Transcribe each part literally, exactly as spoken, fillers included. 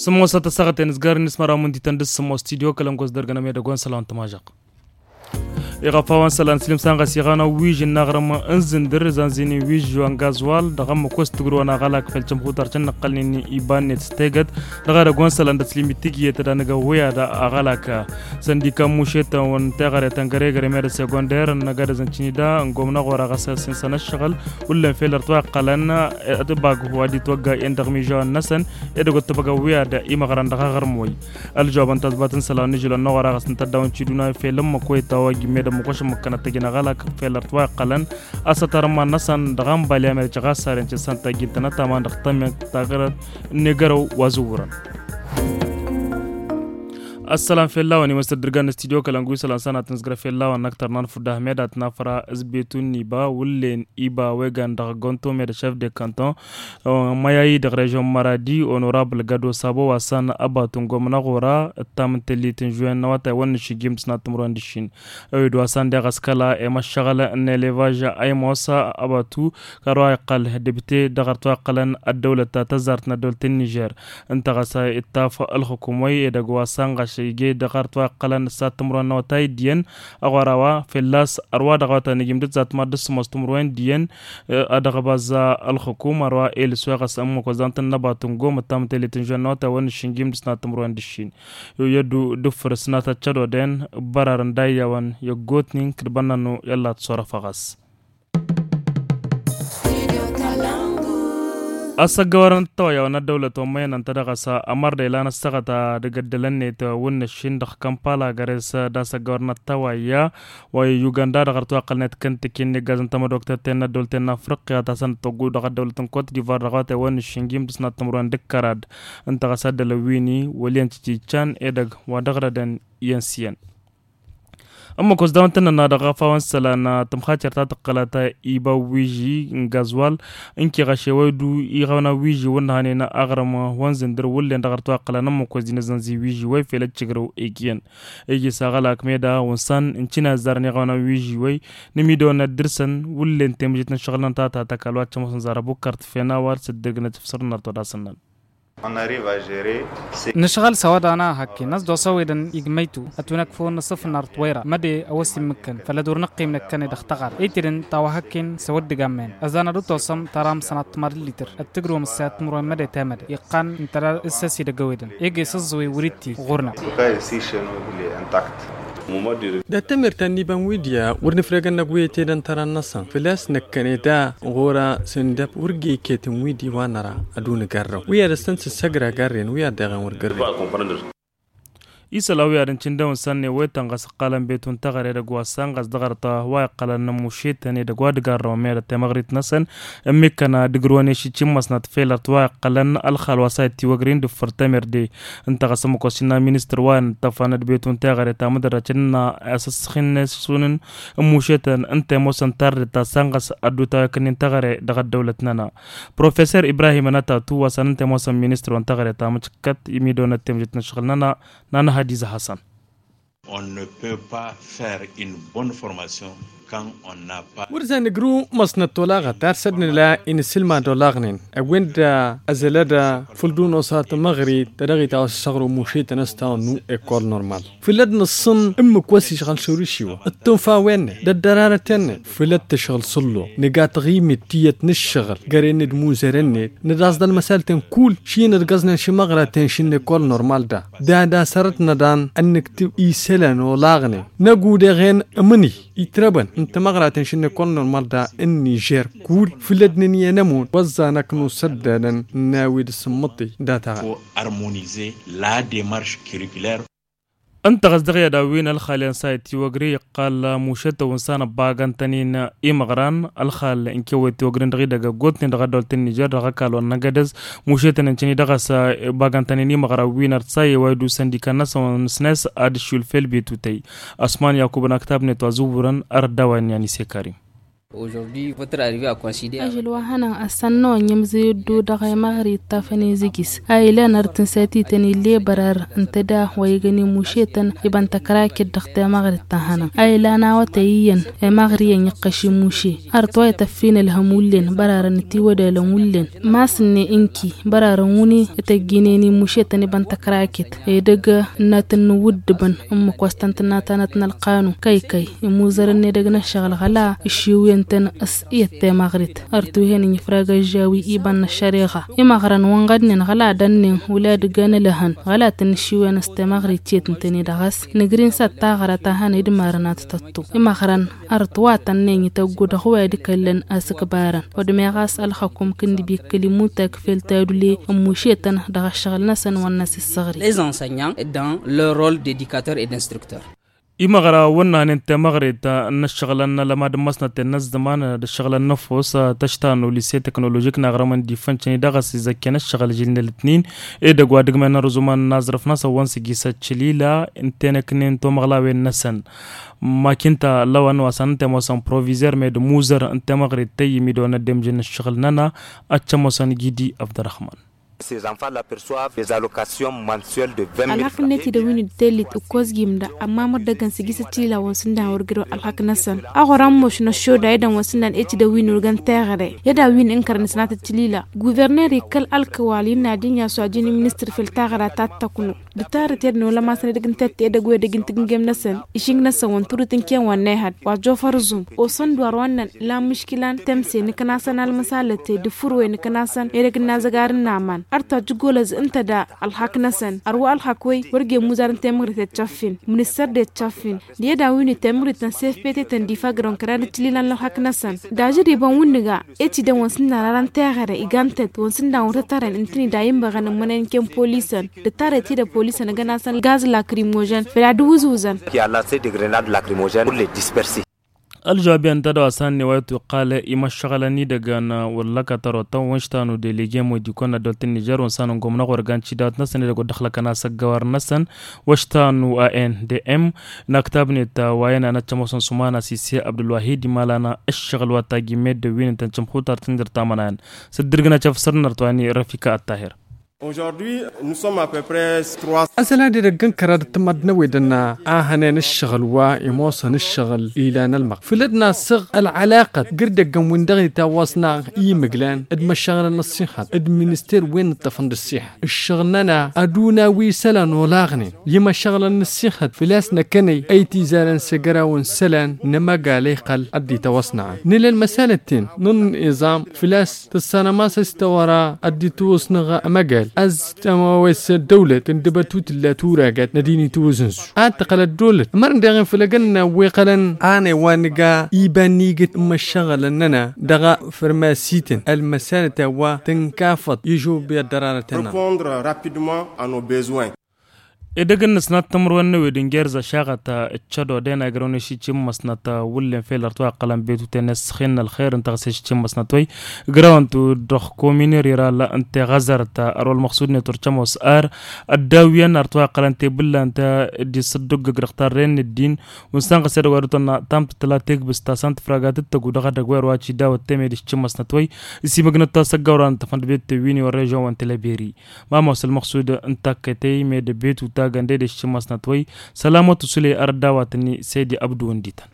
Sǝmmos a tăssaɣăten ǝzgarăn ismăra muntităn d-sǝmmos tidyo kălăngos dărgănăm edăgg wa n-sălan tămažăɣ. Iɣăf a-wa n-sălan sǝlim sanɣăs iɣanăw wižǝn n-aɣrǝm n-zǝndǝr zanzini wižǝn wa n-gazwal dăɣ-ămmăkos tǝgrǝwăn aɣălak fel cămxutar cănnăqqălnen iba-net s-tegăt. Dăɣ-edăgg wa n-sălan dăɣ-sǝlim itǝgyet d-anăgăwwăy ad-aɣălak săndika n-mušetăn wa n-teɣăre tăngăregăre meddǝn segonder n-agădăz n-cǝnida n-gomna ɣur-aɣăs s-insăn ǝššăɣǝl wullen fel ărtwa iqqălăn. Ătbag wa d-itwăgga i-ăndăɣ mižawen-năsăn edăgg wa t-tăbăgăwwi ad-imăɣrăn dăɣ-aɣrǝm wăy. Ălžăwab n-tazbat n-isălan n-ižǝlăn n-aɣăraɣăs n-tăddawăn ciduna fel ǝmmǝk wa itawăjj meddǝn măkošăn măkkănăt tăjǝn aɣălak fel ărtwa iqqălăn. Asătăr n-iman-năsăn dăɣ-anbali a mel căɣasaren cǝssan tajjintănăt aman dăɣ-tămment taɣrăt n-egărăw wa zǝwwărăn. Ăssălan fell-a-wen imăstăr dăr-gan n-studyo kălăngu isălan sănatăn s-grăf fell-a-wen n-aktăr n-anfud ahmed ad-tǝnafăra s-betu n-iba wullen iba wegan dăɣ-gonto med-ăšef de kanton. Măyayi dăɣ-režion măradi onorabl gado sabo wa săn ăbatu n-gomna ɣur-a ǝttam n-tellit n-žuwen n-awătay wăn n-išǝjjim d-sănat timǝrwen d-ǝššin. Ewed wa săn deɣ ăskăla i-măššăɣǝl n-elevaj a imosa ăbatu kăru a iqqăl debite dăɣ-ărtwa iqqălăn ăddăwlăt ta tăzzart n-ăddăwlăt n-nižer. Ǝnta ɣas ittaf ălxukum wa i-edăgg wa săn ɣas ije dăɣ-ărtwa iqqălăn s-ad-timǝrwen n-awătay d-iyyăn. Aɣora wa fell-as ărwa dăɣ-awătay n-ijim d-ǝzzat mad-dd-sǝmos timǝrwen d-iyyăn. Ad-ăɣbaz ălxukum ărwa elǝs wa ɣas ămmăk wa zantăn n-ăbatu n-gom ǝttam n-tellit n-žuwen n-awătay wăn n-išǝnjim d-sănat timǝrwen d-ǝššin. Yu i-ăddu d-ǝffǝr s-nat ăccădodăn ǝbbărarăn d-ayyawăn i-ăggootnen kǝdbănnănu i-ăllat s-orăf a ɣas. Asăggăwărăn ăttăwăyya wa n-ăddăwlăt wa n-măyăn ănta dăɣ-s ămăr d-ilan ăssaɣăt ad-ăgg ăddălăn-net wǝnnăššin dăɣ-kămpala găres d-asăggăwărăn ăttăwăyya wa i-uganda dăɣ-ărtwaqqălnet kăntǝki n-iggaz n-tamădoktet-ten n-ăddăwlăten n-afriqya ta săn tăggu dăɣ-ăddăwlăt n-kot divar dăɣ-wa tewănnăššin jim d-sănat timǝrwen d-kărad. Ǝnta ɣas ad-dd-ălăwwini wăl' iyyăn cicican edăgg wa dăɣ-rădăn iyyăn s-iyyăn. Ămmăk osdawăn tăn-nănna dăɣ-afawăn isălan tǝmxacer ta tǝqqălăt iba wiži n-gazwal. Ǝnki ɣaše wa iddu iɣăwna wiži wǝnnăhănen aɣrǝm wa n-zǝndǝr wǝllen dăɣ-ărtwaqqălăn ămmăk osdinăzănzi wiži wa ifel ăccǝgrǝw eg iyyăn. Iji s-aɣălak meda wǝnsan n-cina ăzzarăn iɣăwna wiži wa i-nǝmidăwăn ad-dăr-săn wǝllen temǝžet n-ǝššăɣǝl-nănăt ta tatăkal wa t-cămăsăn zar ăbukărt fena wa d-sǝddǝrgǝnăt f-săr-năr todasăn-năn. Nǝšɣăl s-ăwadana hakkin ăsdosăwedăn igmăytu ătunăkfăwăn n-asǝfnar t-wăyra măde ăwăs immǝkkăn făll-ad-wăr năqqim năkkăne dăɣ-tăɣar ăytedăn tawăhăkken s-ăwăddig ammăyăn ăzan ad-dd-tosăm tăram sănat timăr d-litǝr ăttǝgrǝwăm ǝssayăt timǝrwen măde temăde iqqan ǝntăra s-ăsidăgg ăwedăn. Ege s-ăẓẓăwăy wăr-itti ɣur-năk. Dat-tămert ta n-iba n-widya wăr nǝfregăn năgg wi ăytedăn tăra-năsăn făl-a-s năkkăne da ɣur-a s-indăb wăr g-iket n-widi wa năra ad-unǝgarrăw wi ad-ăstăn s-ǝssăgra garren wi ad-deɣen wăr gărren. Isălan wi ad-ǝncǝndăwăn săn n-ewetăn ɣas ǝqqalăn betu n-teɣăre edăgg wa săn ɣas dăɣ-arăt wa iqqălăn n-ămmušetăn edăgg wa d-garrăwăn merăt temăɣrit-năsăn. Ămmikkăn ad-ǝgrǝwăn ešǝcci n-măsnăt felărt wa iqqălăn ălxal wa s-a ittiwăgrin d-ǝffǝr temerde. Ǝnta ɣas ămmăk wa s-innă ministăr wa inǝṭṭăfăn d-betu n-teɣăre ta mǝdărrăt n-innă a-s ăssăxinne s-unǝn n-mušetăn ǝnta i-ămoosăn tardet ta săn ɣas ădduta wa ikǝnnin teɣăre dăɣ-ăddăwlăt-nănăɣ. Professer ibrahim ănătatu wa săn ǝnta i-ămoosăn ministăr wa n-teɣăre ta mǝcǝkkăt i-midăwănăt temjet n-ǝššăɣǝl-nănăɣ. N-anăhădiz a hasăn. Wăr za nǝgrǝw măsnăt tolaɣăt ar săd-nǝla inǝsǝlmad olaɣnen ăwwen-dd ăzălăd făll-dd-unosa tămăɣrit ta dăɣ-itawăs ăssaɣru mušetăn ăstawănnu ekol normal. Făll-ădd nǝṣṣǝn ǝmmǝk wa s-išɣăl šăwrǝšiwăn d-tunfa-wen-net d-ăddărarăt-en-net făll-ădd tǝšɣǝl s-ǝlluḍ nǝga taɣimit tiyyăt n-ǝššăɣǝl găre-net d-imuzăren-net. Nǝdaẓ d-ălmăsalten kull šinăt găẓnen šimăɣraten šinne kol normal da dada sărăt nădan ănnǝktǝb isălan olaɣnen năgg udeɣen ămǝnǝy itrăbăn n-timăɣraten šinne kol normal da n-nižer kull făll-ădd nǝnǝyăn ămut wăẓẓan ăknus ăddadăn n-a-wi d-sǝmmăṭṭi data. Ănta ɣas dăɣ-i ad-awǝyǝn ălxal i-ad-săy tiwăgre iqqal mušetăw n-san ăbbagăn-tăn-in imăɣran ălxal n-kewăy tiwăgren dăɣ-idăgg ăggootnen dăɣ-ăddăwăl ta n-nižer dăɣ-ăkall wa n-agădăz. Mušetăn n-căni dăɣ-s ăbbagăn-tăn-in imăɣran wi n-ărtsa i-wa idusăn d-ikan-năsăn wa n-snes ad-ǝššul fel betutăy. Ăsman yakub n-aktab-net wa zǝwwǝrăn ărăt d-a-wa innă yan isekărim. Aujourd'hui votre arrivée a considéré. Ažăl wa hănăn ăssannăwăn i-ămzăy ăddu dăɣ-emăɣri ittafăn izǝgis a ilan ar tǝnsătităn ill'-e bărar ǝnta da wa igăn imušetăn ibăn tăkraket dăɣ-temăɣri ta hănăn a ilan awătăy iyyăn emăɣri iyyăn iqqăš imuše. Ărăt wa ităffin ălhăm wullen bărarăn itiwădalăn wullen. Masǝnne ǝnki bărarăn wǝnni ităjjinen imušetăn ibăn tăkraket edăgg ǝnnatăn n-iwǝddǝbăn ǝmmǝk wa s-tăn-tǝnna tanăt n-ălqanun kăykăy imuzărăn n-edăgg n-ăššăɣǝl ɣăla ǝššiwǝyăn-tăn s-iyyăt temăɣrit. Ărăt wi hen ǝnjǝfrag ăžžawi iba n-ăššăreɣa imăɣrăn wa ǝnɣădnen ɣăla dănnen wăla d-ǝggan ălăhăn ɣăla tăn-ǝššiwǝyăn s-temăɣrit tiyyăt ǝntăne dăɣ-s nǝgrin s-ad-taɣra ta hăn idmarăn ad-t-tăttu imăɣrăn. Ărăt wa tănnen ităggu dăɣ-wa d-ikăllăn asǝkbarăn wădmeɣ a-s ălxăkum kǝndǝb ikkăl imutak fel tadule ǝmmušetăn dăɣ-ăššăɣǝl-năsăn wa n-asǝssăɣri. Les enseignants dans leur rôle d'éducateur et d'instructeur. Imăɣra wănnănen temăɣret n-ăššăɣǝlăn n-alămad n-măsnăten n-ăzzăman d-ăššăɣǝlăn n-ăffos tăšta n-ulise teknoložik n-aɣrămăn d-ifăncăn-i dăɣ-s izăkken ăššăɣǝl žilnălătnin edăgg wa d-ǝgmăn n-arǝzumăn n-aẓrǝf-năsăn wa n-sǝjjisăt šilila n-tenăknen tomăɣlawen-năsăn. Makinta lăwăn wa s-anăn temosăn provizer med muzăr n-temăɣret tăyyǝm idăwăn ăddemžăn n-ăššăɣǝl-nănăɣ ad-tămosăn gidi abdărăhman. Ces enfants-là perçoivent des allocations mensuelles de vingt mille francs. Ălxăk-net idăwin d-tellit ǝkkoẓ gimda ămmamăr dăgg-ănsǝjjǝsăt ila wa n-sǝndan wăr gǝdăw ălxăk-năsăn. Aɣora ămmoš n-ăššoda edăn wa n-sǝndan ecdăwin urgăn teɣăre i-ad-a-win ǝnkărăn s-natăt tilila guverner ikkăl ălkăwal innă ad-inyas wa jin i-ministăr fel taɣra ta t-tăknu. D-tarăt edăn wăla masăn edăgg n-tette edăgg wa edăgg n-tǝgǝngem-năsăn išing-năsăn wa n-turǝt n-ken wa n-ehăd wa jofăr zum. Osăn-dd wa ărwannăn la mǝškǝla n-temse nǝknasăn almăsalăte d-furwe nǝknasăn edăgg n-azăgar n-aman. Ărta jǝggolăz ǝnta da ălxak-năsăn ărwa ălxak-wăy wăr jemmuzar n-temɣrit ettšăffin ministăr d-ettšăffin. D-i ad-awǝyni temɣrit n-sefpete tăn-dd-ifagărăn kăra d-tǝlila n-ălxak-năsăn. Dažăd ibăn wǝnnǝga eci dăn wa n-sǝndan ara n-teɣăre iga n-tăt wa n-sǝndan wăr tăt-ărăn ǝntǝni da inbăɣăn ǝmmănăyăn ken polisăn. D-tarăt i-dăɣ polisăn ǝgăn-asăn gaz lakrimozăn făl ad-wǝzwǝzăn. Qui a lancé des grenades lacrymogènes pour les disperser. Ălžăwab i-ăntădăw a-s hannăy wa itwǝqqal i-imăššăɣǝlăn-i-dăgg n-wăllăkăt ărotăn wa n-ištanu delege modikon n-ăddăwăl ta n-nižer wa n-sanăn gomnăɣ wăr gan cidawăt-năsăn i-dăgg wăr dd-ăxlăkăn asăggăwăr-năsăn. Wa n-ištanu a n d m n-aktab-net wa i-nănăt cămoosăn sumana s-ise abdulwahid imalana ǝššăɣǝl wa tajjǝm meddǝn wi n-tăn-cǝmxutar tǝnjăr tamănayăn. S-dd-irgǝn acăf săr-năr tăwani răfika ăttahir. Aẓăl ad-edăgg n-kăraḍăt n-timaddǝn-a-wen dănna a hănen ǝššăɣǝl wa imoosăn ǝššăɣǝl ilan ălmăɣ făll-ăddinăsăɣ ălɣălaqăt gǝrdăggăn-win-dăɣ itawwăsna i-imǝglan d-imăššăɣǝlăn n-ăṣṣixăt d-minister wen ǝṭṭăfăn d-ăṣṣixa. Ǝššăɣǝl-nănăɣ ad-una wi isălan olaɣnen i-imăššăɣǝlăn n-ăṣṣixăt făl-a-s năkkănăy ăytizarăn s-egăraw n-isălan n-amăgal a iqqăl ad-dd-itawăsnăɣăn nǝla ălmăsalăt-ten n-ănniẓam făl-a-s tǝssanăm a-s ăstăwăra ad-dd-itwǝsnăɣ amăgal a-s tămawes ăddăwlăt tǝndǝbăt wi tǝlla turagăt n-ad-hin-itwǝzǝnz. Ad-tăqqăl ăddăwlăt ămăr ǝndeɣen făll-egănna wi iqqălăn. Anăy wa nǝga iba n-igǝt n-imăššăɣǝlăn-nănăɣ dăɣ-afărmasităn ălmăsalăt a-wa tǝnkafăḍ ižobi ăddărarăt-nănăɣ. Edăgg n-inǝsnat timǝrwen n-ewed n-gerz ăšaɣăt ǝccăd odăyăn a igrăwăn i-šici n-imăsnăt wullen fel ărtwa iqqălăn betuten i-ăssăxen n-ălxer ǝnta ɣas i-šici n-imăsnăt wăy. Igrăwăn-tu dăɣ-komin iriral n-teɣăzărt ărwa ălmăxsud-net wăr cămoos ar ăddaw-iyyăn ărtwa iqqălăn tebǝllant d-isǝddǝggǝg dăɣ-tarren n-ăddin. Wǝnsan ɣas edăgg wa dutăn tamtǝttǝla tegbǝst ta s-an tǝfraga tǝttăgu dăɣ-edăgg wa irwa cidawăt temed i-šici n-imăsnăt wăy. Ǝsimăgnăt-tu asăggawran tăfănd bet tewwin i-wăr režon wa n-teleberi. Mamos ălmăxsud n-takkătey med betu tagănde d-eššǝmmăsnăt wăy. Sălamătu sule ărădda wa tǝnni sedi abdu wǝndităn.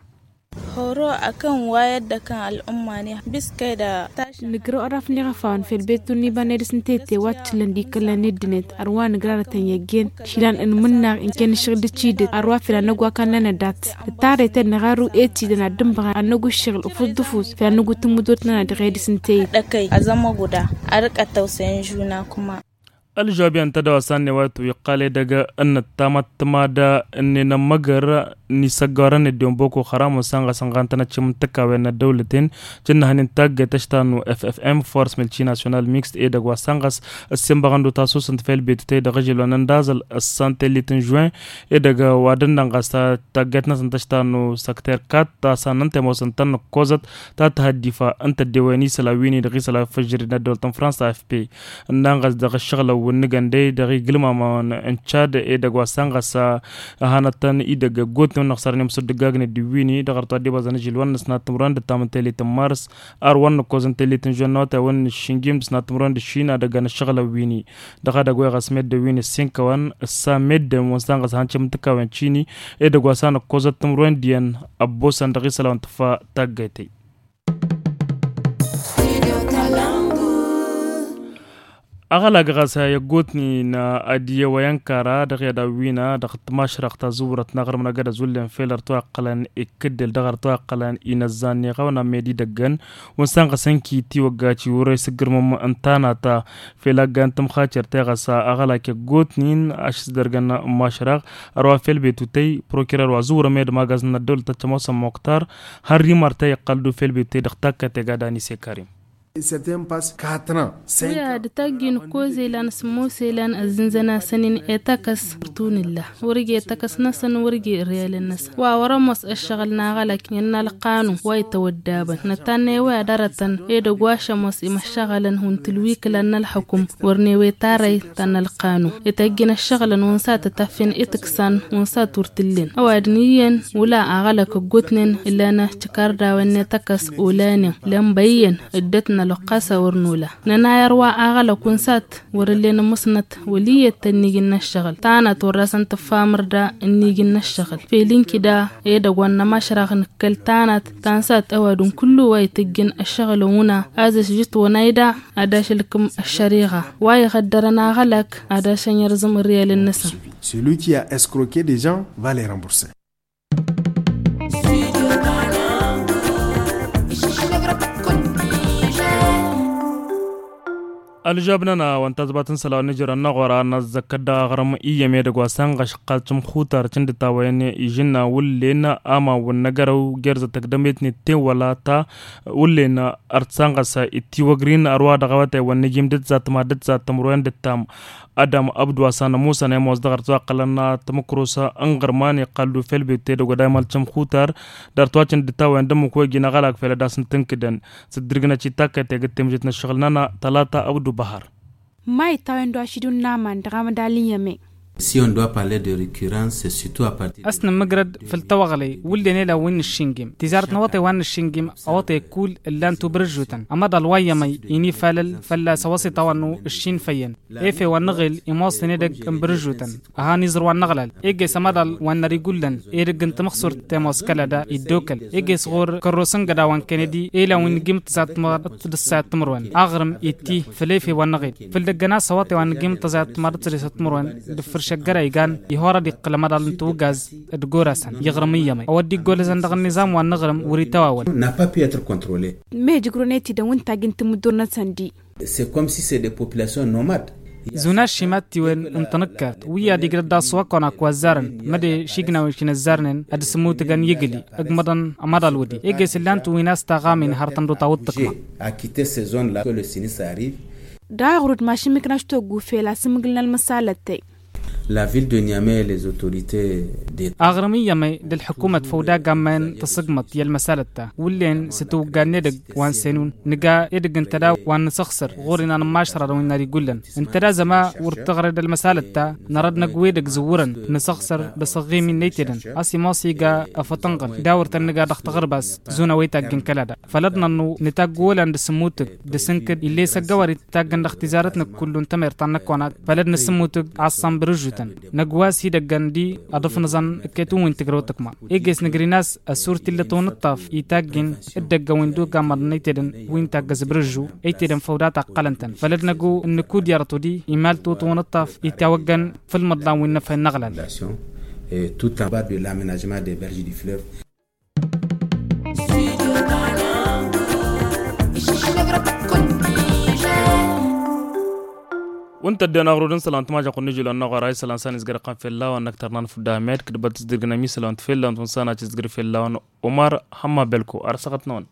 Horo akăn wayăd d-akăn ăl'umma n-iha biskăy da. Nǝgrăw ărraf n-iɣăfawăn fel betu n-iba n-edăs n-tete wa t-tǝllăn d-ikăllan n-ăddinăt ărwa nǝgrarătăn i-ăggen. Šilan n-imǝnnaɣ ǝnken ǝššăɣǝl d-cidǝt ărwa fel ad-năgg wa kannăn ăddat. Ǝttarăy tănnăɣ arru e-t-idăn ad-dd-ǝnbăɣăn ad-năgg ǝššăɣǝl ǝfus d-ǝfus fel ad-năgg utǝmmǝdot-nănăɣ dăɣ-edăs n-teyǝd. Ăkăy azămmăɣ uda ad-dd-kăt tăwsăyăn žuna kuma. Ălžăwab i-ăntădăw a-s anne wa itwǝqqal edăgg n-ǝttamăt timadda ǝnne n-ămmăgăr n-isăggorăn ăddiwăn boko haram wa n-săn ɣas ănɣantăn ăččim n-tǝkkawen n-ăddăwlăten. Jǝnnăhăn-in taggayt ăštanu ffm force milci national mixt edăgg wa s-ănɣas ăssinbăɣăn d-utasusǝnt fel betutăy dăɣ-ažăl wa n-ăndaẓăl ăssan tellit n-žuwen. Edăgg wa d-ănnănɣas taggayt-năsăn tăštanu săkter kat ta s-annăn temosăn tăn-nǝkkoẓăt ta tǝhăddifa n-tăddewen isălan wi n-idăɣ isălan făjjări n-ăddăwlăt n-frans afp. Ănnănɣas dăɣ-ǝššăɣǝlăn. wǝnnǝgăn de dăɣ-iglǝmamăn n-cad edăgg wa sănɣăs a hanăt-tăn idăgg ăggootnen wǝnnăɣ sărăn i-măsăddǝggagnen d-iwwini dăɣ-arăt wa dd-ibăẓăn ažil wa n-ăsnat timǝrwen d-ăttam n-telit n-mars ar wa n-nǝkkoẓ n-telit n-žonna wa tayawăn n-aššǝnjim d-ăsnat timǝrwen d-aššin ad-ăggan ăššăɣǝlăn wini. Dăɣ-ad-ăgg wa iɣas meddǝn wini ǝssinkăwăn ǝssa meddǝn wǝnsan ɣas hanăt-căm n-tǝkawăn cini edăgg wa s-a nǝkkoẓăt timǝrwen d-iyyăn ăbbosăn dăɣ-isălan tǝffa taggayt-ey. Aɣălag ɣas a i-ăggootnen ad-iyyăw a i-ănkara dăɣ-i ad-awwina dăɣ-tmašrăɣt ta zǝwwărăt n-aɣrǝm n-agad ăzullen fel ărtwa iqqălăn ikkǝddǝl dăɣ-ărtwa iqqălăn inăzzan n-iɣawna med-idăggăn wǝnsan ɣas ǝnki tiwăgga ciwurăy s-ǝggǝrmăm n-tanata. Fel aggan tǝmxacert i-ɣas aɣălak i-ăggootnen ašǝsdărgăn n-mašrăɣ ărwa fel betutăy prokirer wa zǝwrăm i-ad-magazăn n-ăddăwlăt tăccăm osăn moktar. Hărri mărtăy iqqăl-dd ufel betutăy dăɣ-takkăt i-gad anise karim. Wi ad-taggi nǝkkoz elan s-ămoos elan ăzzǝnzăn-asăn-in i-takăs. Tun-illa wăr-ije takăs-năsăn wăr-ije ărriyalăn-năsăn wa wăr-ămoos ăššăɣǝl n-aɣălak i-ănnalăqqanu wa itawăddabăn nătannăy wi ad-arătăn edăgg wa šămoos imăššăɣălăn hun tǝlwikǝlan n-ălxukǝm. Wăr n-ewe tarăy ta n-ălqanu ităjjǝn ăššăɣǝlăn wǝnsa tătafin itǝksan wǝnsa turtǝllen ăwadǝm iyyăn wǝla aɣălăk ăggootnen. Ǝllanăh cǝkardawen n-etăkăs olanen lănbăyyen ǝddăt n-ălwăqqa s-a wăr nola nănay ărwa aɣălăk wǝnsat wăr ǝllen ămmusnăt wăl' iyyăt tănnijǝn n-ăššăɣǝl tanăt wăr dasăn tǝffa amărda ǝnnijǝn n-ăššăɣǝl fel ǝnkǝda edăgg wa n-nămašraɣ nǝkkăl tanăt ta n-sat ăwadǝm kullu wa itǝjjǝn ăššăɣǝl ăwna. Azǝs žǝtwăn ayda ad-ašǝlkǝm ăššăriɣa wa iɣăddărăn aɣălăk ad-ašăn irẓǝm ǝrriyalăn-năsăn. Celui qui a escroqué des gens va les rembourser. Ălžab-nănăɣ wa n-tazbat n-isălan n-ijrăn n-aɣora năzzăkkăt dăɣ-aɣrǝm iyyăm edăgg wa s-ănɣăšăqqal cǝmxutar cǝndǝtawăyăn ižǝnna wǝllen amawăn n-agărăw gerzăt tăgdămet n-ettewăla ta wǝllen ărtsanɣăs ittiwăgrin ărwa dăɣ-awătay wa n-ijim d-ǝzzat ma d-ǝzzat tămruwen d-ǝttam. Adam ăbdǝw a-s anămusăn i-ămoos dăɣ-ărtwa iqqălăn tǝmǝkrus n-iɣărman iqqăl-dd ufel betut edăgg wa d-aymal cǝmxutar d-ărtwa cǝndǝtawăyăn d-ǝmmǝk wa iji n-aɣălak fel ad-asǝn-tǝnkǝdăn s-dd-irgǝnăt i-takkăt egg d-temžit n-ăššăɣǝl-nănăɣ tălata ăbdǝw băhăr. Ma ittawăn-dd wa ašidun n-aman dăɣ-amădal n-iyyăm-e. Si on doit parler de récurrence c'est surtout à partir. Ăsnămmǝgrăd făll-tawăɣlăy wǝllen elan wi n-nǝššingim tizarăt n-awătay wa n-nǝššingim awătay kull ǝllan-t ubrǝžžutăn ămăḍal wa n-iyyăm-ăy inifalăl fălla-s ăwăṣiṭ a-wa n-ǝššin făyyăn. Efew wa n-năɣel imoosăn edăgg n-ibrǝžžutăn a han iẓrǝw wa n-năɣlal egg-e s-amăḍal wa n-nărigullăn edăgg n-tamăxsurt temoos kăl-ad-iddokăl egg-e s-ɣur-kărros n-gădawăn kennedi elan wi n-nǝjjim d-tăsat timăḍt d-ǝssayăt timǝrwen aɣrǝm itti făll-efew wa n-năɣel. Făll-dăgg-ănas awătay wa n-nǝjjim d-tăsat timăḍt d-ǝssayăt timǝrwen d-ǝffǝr šăggăra igan ihor ad-iqqǝl amăḍal n-tiwǝgaz d-gorasăn iɣrǝm iyyăm-e a wăr dd-iggolăzăn dăɣ-ănnizam wa n-iɣrǝm wăr-itawawăl. N'a pas pu être contrôlé. Mehjǝgrun etidăn wi n-tajjǝn timǝddur-năsăn di. C'est comme si c'est des populations nomades. Zun aššimat tiwen n-tanǝkkart wi ad-igrăd daɣ s-wa kăwăn-ak wa ăzzarăn măde šignawen šinăzzarnen ad-sǝmmutǝgăn igǝli ǝgmăḍăn ămaḍal wădi egg-e s-ǝllan-t wi n-a-s taɣamin har tăn-dut awǝḍ tǝkma. A quitté ces zones là que le sinistre arrive. Daɣ ɣur-dd mašin miknaš toggu fel asǝmmǝgǝl n-ălmăsalăt-tăy. La ville de niamey les autorités de. Aɣrǝm iyyăm-e d-ălḥǝkumăt făw d-agammayăn tăṣǝgmăḍt i-ălmăsalăt-ta wǝllen s-tiwǝgga n-edăgg wa n-senun nǝga edăgg n-tăda wa n-nǝsăɣsăr ɣur-inan n-imašrarăn wi n-ad-igullăn. Ǝnta d-azăma wăr tăɣred ălmăsalăt-ta nărăd năgg wi edăgg zǝwwărăn nǝsăɣsăr d-asăɣɣim-in n-etedăn a-s imoos iga afătănɣăl d-a wăr tăn-nǝga dăɣ-taɣărbast. Zun a-wa itajjăn kăl-ad-a făl ad-nănnu nǝtagg wălan d-asǝmmutǝg d-asǝnkǝd ill'-e s-ăggăwăr itajjăn dăɣ-tizarăt n-kullu n-tamert ta n-năkk wa n-ad-făl ad-nǝsǝmmutǝg. Aṣṣan bărǝžžutăn năgg wa s-idăggăn di aḍǝf n-iẓăn ǝkketǝwăn wi n-tǝgrăwt ǝkma egg-e s-nǝgrǝn a-s ăssurtillăt-wăn ǝṭṭaf itajjăn d-ăgg-a-wen d-oga măḍăn ăytedăn wi n-taggăz bărǝžžu ăytedăn făw data ǝqqălăn-tăn făl ad-năgg ǝnnǝk udyărăt wădi imal tǝwǝtǝwăn ǝṭṭaf itawaggăn făll-imǝḍlan wi n-inăfay n-aɣlal. Tout en bas de l'aménagement des berges du fleuve. Wǝnta ăddinăɣ rud n-isălan tǝmažăɣ kunni žilăn n-aɣora isălan s-a nǝzgăr iqqăn fell-a-wăn n-ăktăr n-anfǝd d-ahmed kǝdbăt s-dd-irgǝnăm isălan t-fell-a-wăn tǝnsănat s-dd-irgǝr fell-a-wăn. Umar hămma belko ar săɣăt-năwăn.